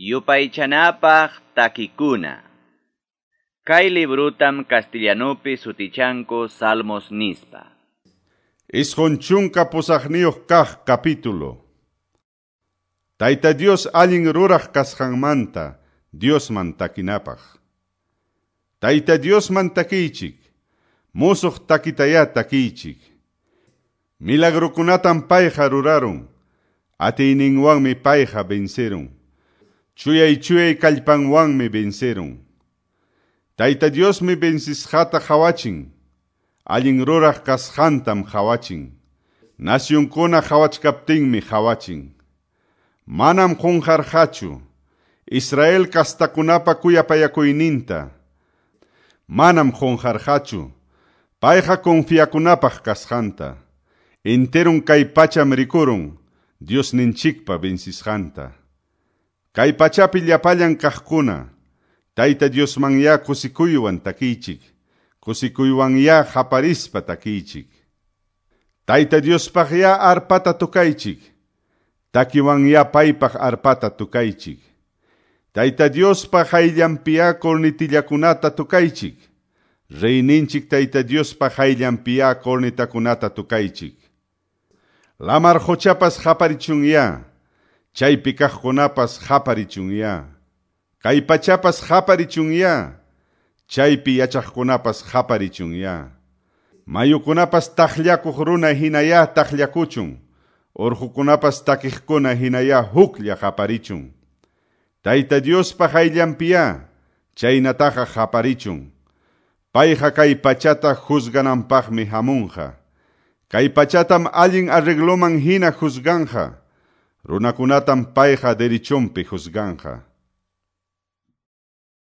Yupaychanapaq takikuna. Kay librutam castellanupi sutichanku Salmos nispa. 98 kaq capítulo. Tayta Dios allin ruraq kasqanmanta Diosman takinapaq. Tayta Diosman takiychik, musuq takitayá takiychik. Milagrukunatam payqa rurarun, atiyninwanmi payqa vencerun. Chuyay chuyay kallpanwanmi vencerun. Tayta Diosmi vencisqata qhawachin, allin ruraq kasqantam qhawachin. Nacionkuna qhawachkaptinmi qhawachin. Manam qunqarqachu Israel kastakunapa kuyapayakuyninta. Manam qunqarqachu payqa confiakunapaq kasqanta. Enterun kay pacham rikurun Diosninchikpa vencisqanta. Kay pachapi llapallan kaqkuna, Tayta Diosmanyá kusikuywan takiychik, kusikuywanyá qaparispa takiychik. Tayta Diospaqyá arpata tukaychik, takiwanyá paypaq arpata tukaychik. Tayta Diospa hayllanpiyá cornitillakunata tukaychik, Reyninchik Tayta Diospa hayllanpiyá cornitakunata tukaychik. Lamar qochapas qaparichunyá, chaypi kaqkunapas qaparichunyá. Kay pachapas qaparichunyá, chaypi yachaqkunapas qaparichunyá. Mayukunapas taqllakuq runa hinayá taqllakuchun, urqukunapas takiqkuna hinayá huklla qaparichun. Tayta Diospa hayllanpiyá, chaynataqa qaparichun. Payqa kay pachata juzgananpaqmi hamunqa. Kay pachatam allin arregloman hina juzganja. Runakunatam payqa derechonpi juzganja.